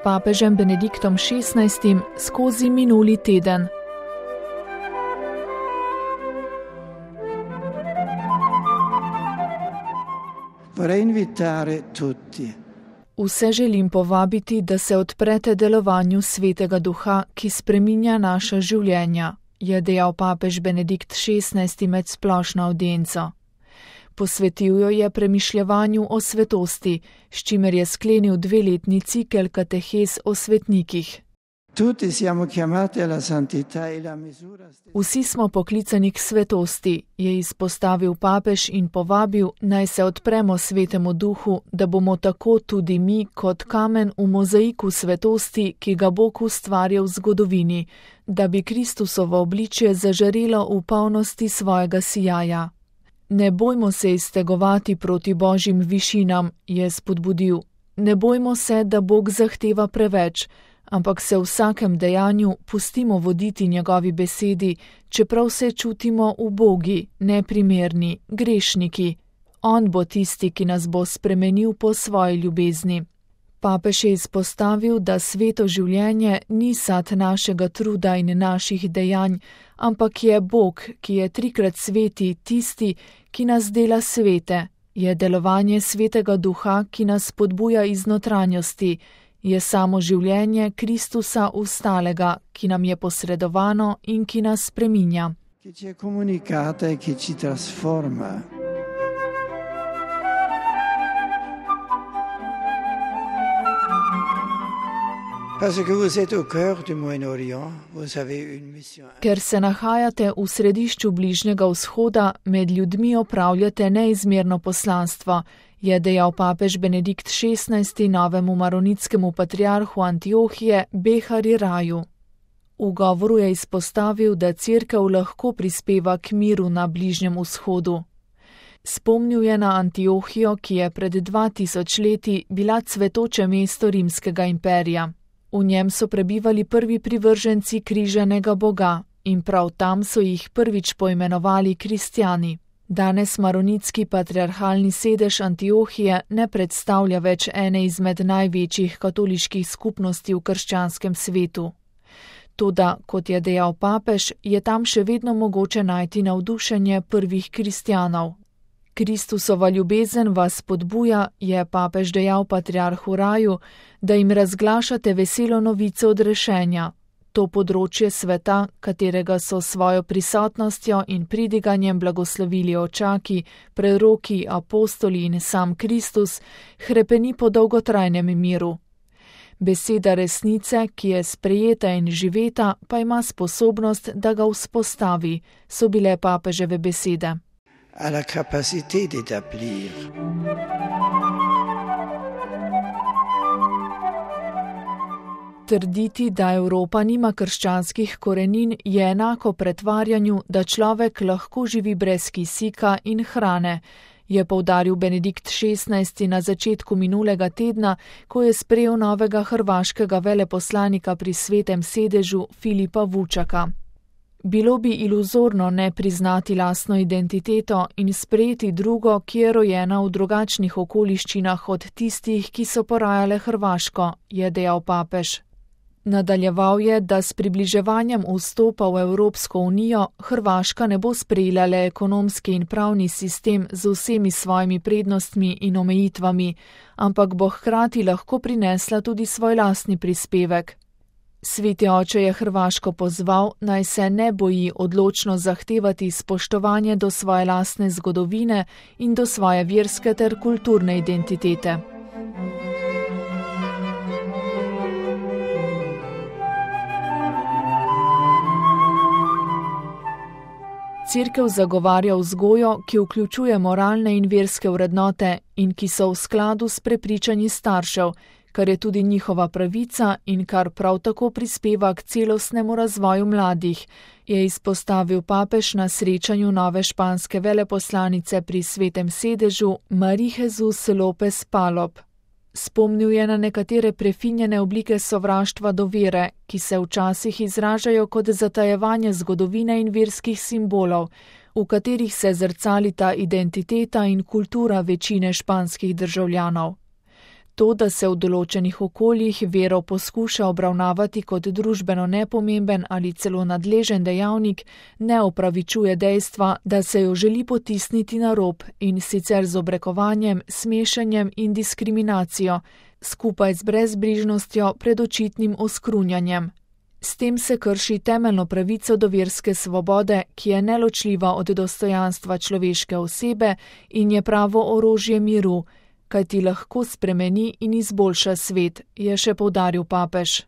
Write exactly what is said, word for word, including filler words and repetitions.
papežem Benediktom šestnajstim skozi minuli teden. Vse želim povabiti, da se odprete delovanju Svetega Duha, ki spreminja naša življenja, je dejal papež Benedikt šestnajsti med splošno avdienco. Posvetil jo je premišljevanju o svetosti, s čimer je sklenil dveletni cikel katehez o svetnikih. Vsi smo poklicani k svetosti, je izpostavil papež in povabil, naj se odpremo Svetemu Duhu, da bomo tako tudi mi kot kamen v mozaiku svetosti, ki ga Bog ustvarja v zgodovini, da bi Kristusovo obličje zažarelo v polnosti svojega sijaja. Ne bojmo se iztegovati proti Božjim višinam, je spodbudil. Ne bojmo se, da Bog zahteva preveč, ampak se v vsakem dejanju pustimo voditi njegovi besedi, čeprav se čutimo ubogi, neprimerni, grešniki. On bo tisti, ki nas bo spremenil po svoji ljubezni. Papež je izpostavil, da sveto življenje ni sad našega truda in naših dejanj, ampak je Bog, ki je trikrat sveti, tisti, ki nas dela svete, je delovanje Svetega Duha, ki nas spodbuja iz notranjosti, je samo življenje Kristusa ustalega, ki nam je posredovano in ki nas spreminja. Ki ci je komunikata in ki ci transforma. Ker se nahajate v središču Bližnjega vzhoda, med ljudmi opravljate neizmerno poslanstvo, je dejal papež Benedikt šestnajsti novemu maronitskemu patriarhu Antiohije Behari Raju. V govoru je izpostavil, da cerkev lahko prispeva k miru na Bližnjem vzhodu. Spomnil je na Antiohijo, ki je pred dva tisoč leti bila cvetoče mesto rimskega imperija. V njem so prebivali prvi privrženci križanega Boga in prav tam so jih prvič poimenovali kristjani. Danes maronitski patriarhalni sedež Antiohije ne predstavlja več ene izmed največjih katoliških skupnosti v krščanskem svetu. Toda, kot je dejal papež, je tam še vedno mogoče najti navdušenje prvih kristjanov. Kristusova ljubezen vas spodbuja, je papež dejal patriarhu Raju, da jim razglašate veselo novico odrešenja. To področje sveta, katerega so svojo prisotnostjo in pridiganjem blagoslovili očaki, preroki, apostoli in sam Kristus, hrepeni po dolgotrajnem miru. Beseda resnice, ki je sprejeta in živeta, pa ima sposobnost, da ga vzpostavi, so bile papeževe besede. A la capacité d'établir. Trditi, da Evropa nima krščanskih korenin, je enako pretvarjanju, da človek lahko živi brez kisika in hrane, je poudaril Benedikt šestnajsti na začetku minulega tedna, ko je sprejel novega hrvaškega veleposlanika pri Svetem sedežu Filipa Vučaka. Bilo bi iluzorno ne priznati lastno identiteto in sprejeti drugo, ki je rojena v drugačnih okoliščinah od tistih, ki so porajale Hrvaško, je dejal papež. Nadaljeval je, da s približevanjem vstopa v Evropsko unijo Hrvaška ne bo sprejela le ekonomski in pravni sistem z vsemi svojimi prednostmi in omejitvami, ampak bo hkrati lahko prinesla tudi svoj lastni prispevek. Sveti oče je Hrvaško pozval, naj se ne boji odločno zahtevati spoštovanje do svoje lastne zgodovine in do svoje verske ter kulturne identitete. Cerkev zagovarja vzgojo, ki vključuje moralne in verske vrednote in ki so v skladu s prepričanji staršev, kar je tudi njihova pravica in kar prav tako prispeva k celostnemu razvoju mladih, je izpostavil papež na srečanju nove španske veleposlanice pri Svetem sedežu Marie Jesus López Palop. Spomnil je na nekatere prefinjene oblike sovraštva do vere, ki se včasih izražajo kot zatajevanje zgodovine in verskih simbolov, v katerih se zrcalita identiteta in kultura večine španskih državljanov. To, da se v določenih okoljih vero poskuša obravnavati kot družbeno nepomemben ali celo nadležen dejavnik, ne opravičuje dejstva, da se jo želi potisniti na rob in sicer z obrekovanjem, smešanjem in diskriminacijo, skupaj z brezbrižnostjo pred očitnim oskrunjanjem. S tem se krši temeljno pravico do verske svobode, ki je neločljiva od dostojanstva človeške osebe in je pravo orožje miru, kaj ti lahko spremeni in izboljša svet, je še poudaril papež.